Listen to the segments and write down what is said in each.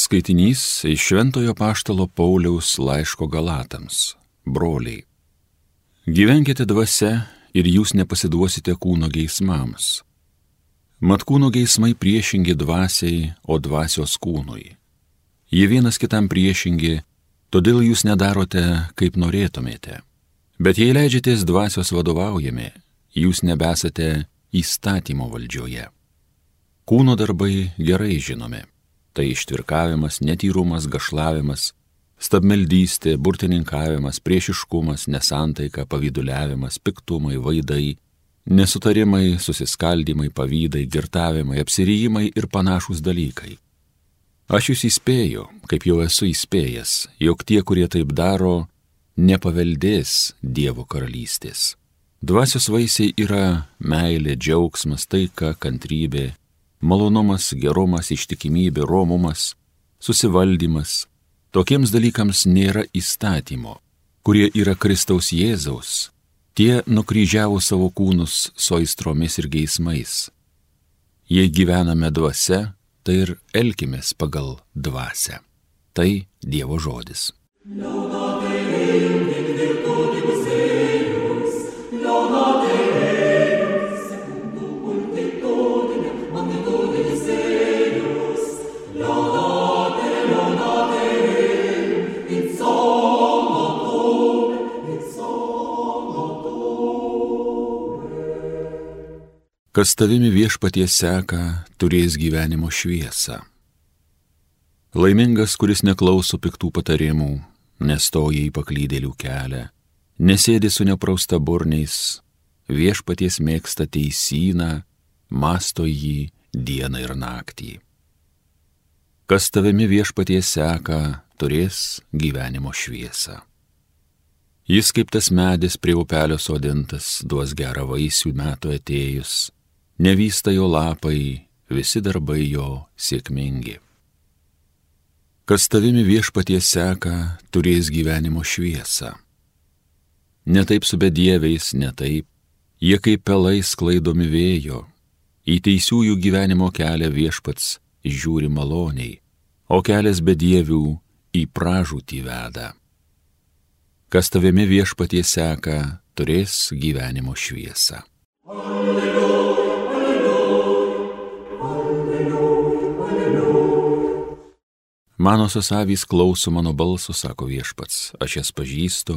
Skaitinys iš Šventojo Apaštalo Pauliaus laiško Galatams. Broliai, gyvenkite dvasia ir jūs nepasiduosite kūno geismams. Mat kūno geismai priešingi dvasiai, o dvasios kūnui. Jie vienas kitam priešingi, todėl jūs nedarote, kaip norėtumėte. Bet jei leidžiatės dvasios vadovaujami, jūs nebesate įstatymo valdžioje. Kūno darbai gerai žinomi. Tai ištvirkavimas, netyrumas, gašlavimas, stabmeldystė, burtininkavimas, priešiškumas, nesantaika, pavyduliavimas, piktumai, vaidai, nesutarimai, susiskaldimai, pavydai, girtavimai, apsirijimai ir panašūs dalykai. Aš jūs įspėju, kaip jau esu įspėjęs, jog tie, kurie taip daro, nepaveldės Dievo karalystės. Dvasios vaisiai yra meilė, džiaugsmas, taika, kantrybė, malonumas, gerumas, ištikimybė, romumas, susivaldymas. Tokiems dalykams nėra įstatymo, kurie yra Kristaus Jėzaus. Tie nukryžiavo savo kūnus su aistromis ir geismais. Jei gyvename dvasia, tai ir elkimės pagal dvasią. Tai Dievo žodis. Kas tavimi Viešpaties seka, turės gyvenimo šviesą. Laimingas, kuris neklauso piktų patarimų, nestoja į paklydėlių kelią, nesėdi su nepraustaburniais, Viešpaties mėgsta teisyną, mąsto jį dieną ir naktį. Kas tavimi Viešpaties seka, turės gyvenimo šviesą. Jis kaip tas medis prie upelio sodintas, duos gerą vaisių metų atėjus. Nevysta jo lapai, visi darbai jo sėkmingi. Kas tavimi Viešpaties seka, turės gyvenimo šviesą. Ne taip su bedieviais, ne taip, jie kaip pelai sklaidomi vėjo, į teisiųjų gyvenimo kelią Viešpats žiūri maloniai, o kelias bedievių į pražūtį veda. Kas tavimi Viešpaties seka, turės gyvenimo šviesą. Manosios avys klauso mano balso, sako Viešpats, aš jas pažįstu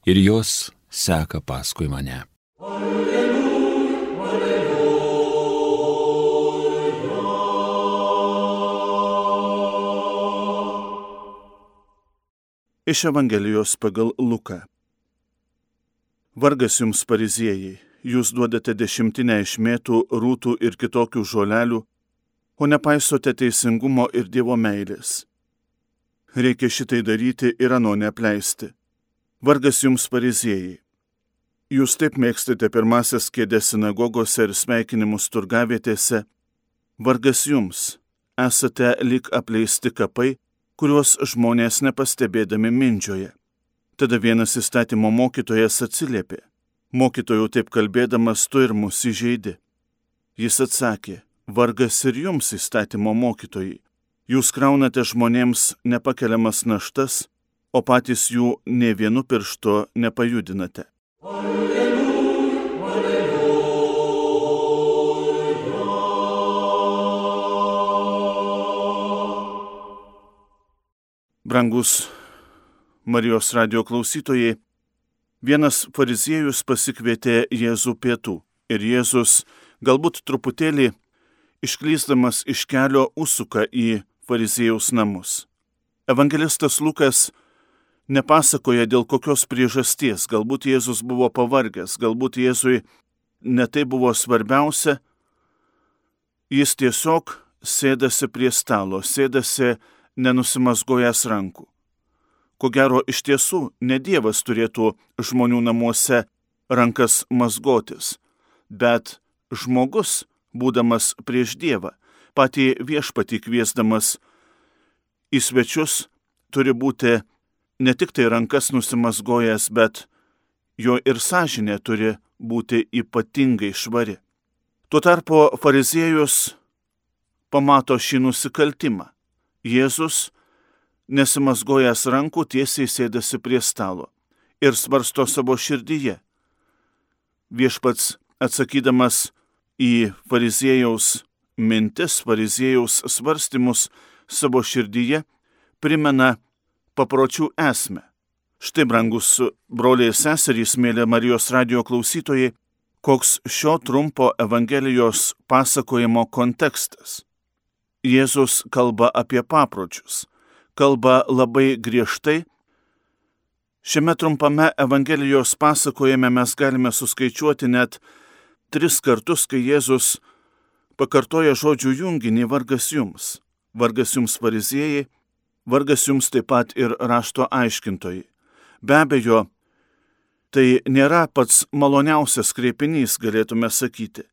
ir jos seka paskui mane. Alleluja, alleluja. Iš Evangelijos pagal Luką. Vargas jums, fariziejai, jūs duodate dešimtinę iš mėtų, rūtų ir kitokių žolelių, o nepaisote teisingumo ir Dievo meilės. Reikia šitai daryti ir ano neapleisti. Vargas jums, fariziejai. Jūs taip mėgstate pirmasias kėdes sinagogose ir sveikinimus turgavietėse. Vargas jums. Esate lyg apleisti kapai, kuriuos žmonės nepastebėdami mindžioja. Tada vienas įstatymo mokytojas atsiliepė. Mokytojau, taip kalbėdamas, tu ir mus įžeidi. Jis atsakė, vargas ir jums, įstatymo mokytojai. Jūs kraunate žmonėms nepakeliamas naštas, o patys jų nė vienu pirštu nepajudinate. Alleluja, alleluja. Brangus Marijos radijo klausytojai, vienas fariziejus pasikvietė Jėzų pietų ir Jėzus galbūt truputėlį išklysdamas iš kelio užsuka į fariziejaus namus. Evangelistas Lukas nepasakoja dėl kokios priežasties, galbūt Jėzus buvo pavargęs, galbūt Jėzui netai buvo svarbiausia, jis tiesiog sėdasi prie stalo, sėdasi nenusimazgojęs rankų. Ko gero, iš tiesų, ne Dievas turėtų žmonių namuose rankas mazgotis, bet žmogus, būdamas prieš Dievą, patį Viešpatį kviesdamas į svečius, turi būti ne tik tai rankas nusimazgojęs, bet jo ir sąžinė turi būti ypatingai švari. Tuo tarpu fariziejus pamato šį nusikaltimą Jėzus, nesimazgojęs rankų, tiesiai sėdasi prie stalo ir svarsto savo širdyje. Viešpats, atsakydamas į fariziejaus mintis, fariziejaus svarstymus savo širdyje, primena papročių esmę. Štai, brangus broliai ir seserys, mėly Marijos radijo klausytojai, koks šio trumpo Evangelijos pasakojimo kontekstas. Jėzus kalba apie papročius, kalba labai griežtai. Šiame trumpame Evangelijos pasakojime mes galime suskaičiuoti net 3 kartus, kai Jėzus pakartoja žodžių junginį vargas jums. Vargas jums fariziejai, vargas jums taip pat ir rašto aiškintojai. Be abejo, tai nėra pats maloniausias kreipinys, galėtume sakyti.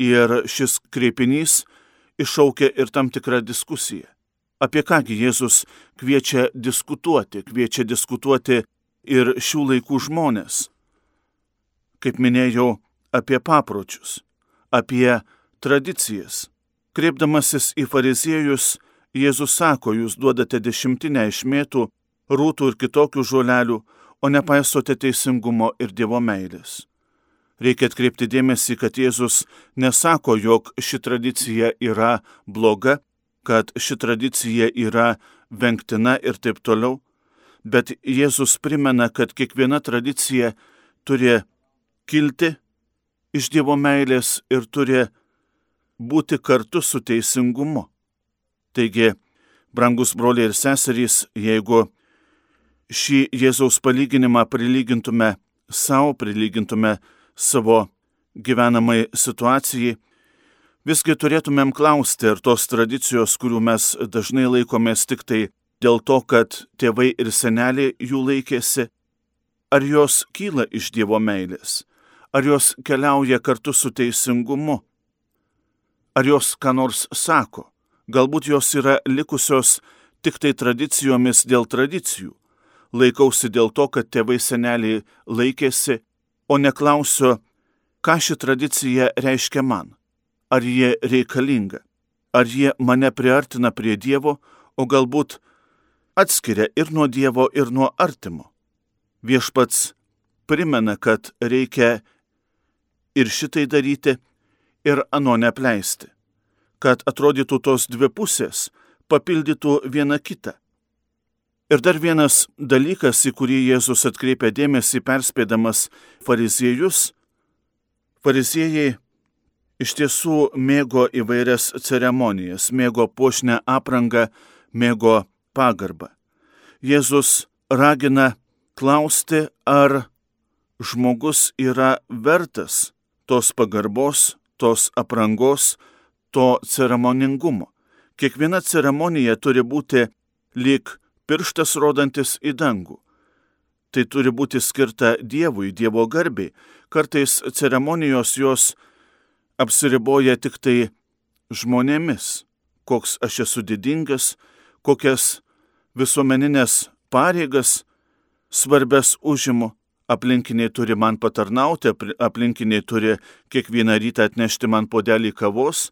Ir šis kreipinys iššaukia ir tam tikrą diskusiją. Apie kągi Jėzus kviečia diskutuoti ir šių laikų žmonės. Kaip minėjau, apie papročius, apie tradicijas. Kreipdamasis į fariziejus, Jėzus sako, jūs duodate 10 iš mėtų, rūtų ir kitokių žolelių, o nepaisote teisingumo ir Dievo meilės. Reikia atkreipti dėmesį, kad Jėzus nesako, jog ši tradicija yra bloga, kad ši tradicija yra vengtina ir taip toliau, bet Jėzus primena, kad kiekviena tradicija turi kilti iš Dievo meilės ir turi būti kartu su teisingumu. Taigi, brangus broliai ir seserys, jeigu šį Jėzaus palyginimą prilygintume savo gyvenamai situacijai, visgi turėtumėm klausti, ar tos tradicijos, kurių mes dažnai laikomės tik tai dėl to, kad tėvai ir seneliai jų laikėsi, ar jos kyla iš Dievo meilės, ar jos keliauja kartu su teisingumu, ar jos ką nors sako, galbūt jos yra likusios tik tai tradicijomis dėl tradicijų. Laikausi dėl to, kad tėvai seneliai laikėsi, o neklausiu, ką ši tradicija reiškia man. Ar jie reikalinga, ar jie mane priartina prie Dievo, o galbūt atskiria ir nuo Dievo, ir nuo artimo. Viešpats primena, kad reikia ir šitai daryti, ir ano neapleisti, kad atrodytų tos dvi pusės, papildytų viena kitą. Ir dar vienas dalykas, į kurį Jėzus atkreipia dėmesį, perspėdamas fariziejus. Fariziejai iš tiesų mėgo įvairias ceremonijas, mėgo puošnią aprangą, mėgo pagarbą. Jėzus ragina klausti, ar žmogus yra vertas tos pagarbos, tos aprangos, to ceremoningumo. Kiekviena ceremonija turi būti lyg pirštas rodantis į dangų. Tai turi būti skirta Dievui, Dievo garbei. Kartais ceremonijos jos apsiriboja tik tai žmonėmis, koks aš esu didingas, kokias visuomeninės pareigas svarbes užimu. Aplinkiniai turi man patarnauti, aplinkiniai turi kiekvieną rytą atnešti man puodelį kavos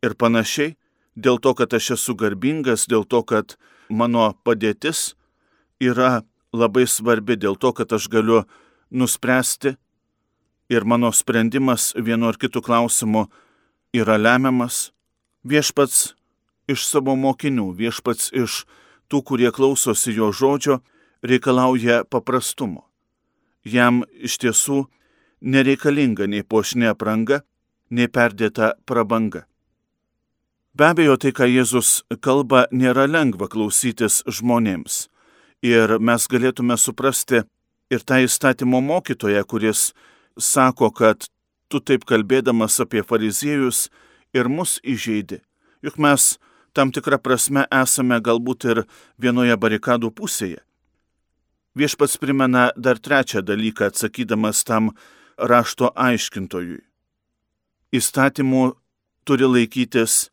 ir panašiai. Dėl to, kad aš esu garbingas, dėl to, kad mano padėtis yra labai svarbi, dėl to, kad aš galiu nuspręsti ir mano sprendimas vienu ar kitu klausimu yra lemiamas. Viešpats iš savo mokinių, viešpats iš tų, kurie klausosi jo žodžio, reikalauja paprastumo. Jam iš tiesų nereikalinga nei puošni apranga, nei perdėta prabanga. Be abejo, tai, ką Jėzus kalba, nėra lengva klausytis žmonėms. Ir mes galėtume suprasti ir tą įstatymo mokytoją, kuris sako, kad tu taip kalbėdamas apie fariziejus ir mus įžeidi. Juk mes tam tikrą prasme esame galbūt ir vienoje barikadų pusėje. Viešpats primena dar trečią dalyką, atsakydamas tam rašto aiškintojui. Įstatymų turi laikytis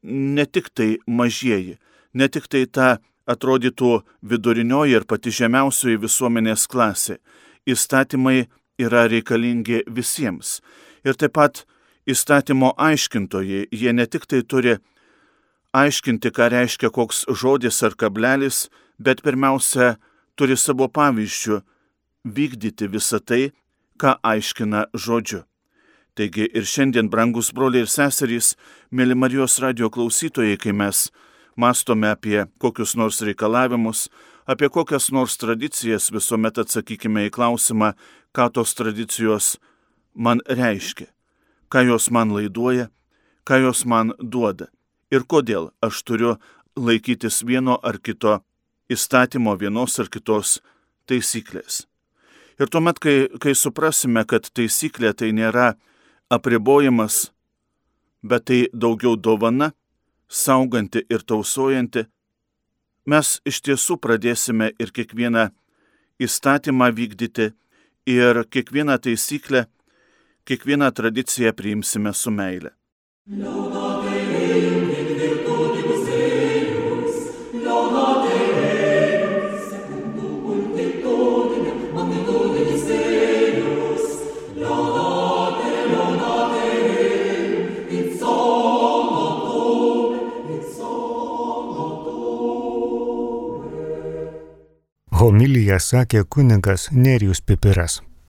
ne tik tai mažieji, ne tik tai ta atrodytų vidurinioji ir pati žemiausioji visuomenės klasė. Įstatymai yra reikalingi visiems. Ir taip pat įstatymo aiškintojai, jie ne tik tai turi aiškinti, ką reiškia koks žodis ar kablelis, bet pirmiausia, turi savo pavyzdžių vykdyti visą tai, ką aiškina žodžiu. Taigi ir šiandien, brangus broliai ir seserys, mėly Marijos radijo klausytojai, kai mes mąstome apie kokius nors reikalavimus, apie kokias nors tradicijas, visuomet atsakykime į klausimą, ką tos tradicijos man reiškia, ką jos man laiduoja, ką jos man duoda ir kodėl aš turiu laikytis vieno ar kito įstatymo, vienos ar kitos taisyklės. Ir tuomet, kai suprasime, kad taisyklė tai nėra apribojimas, bet tai daugiau dovana, sauganti ir tausojanti, mes iš tiesų pradėsime ir kiekvieną įstatymą vykdyti ir kiekvieną taisyklę, kiekvieną tradiciją priimsime su meile. Homiliją sakė kunigas Nerijus Pipiras.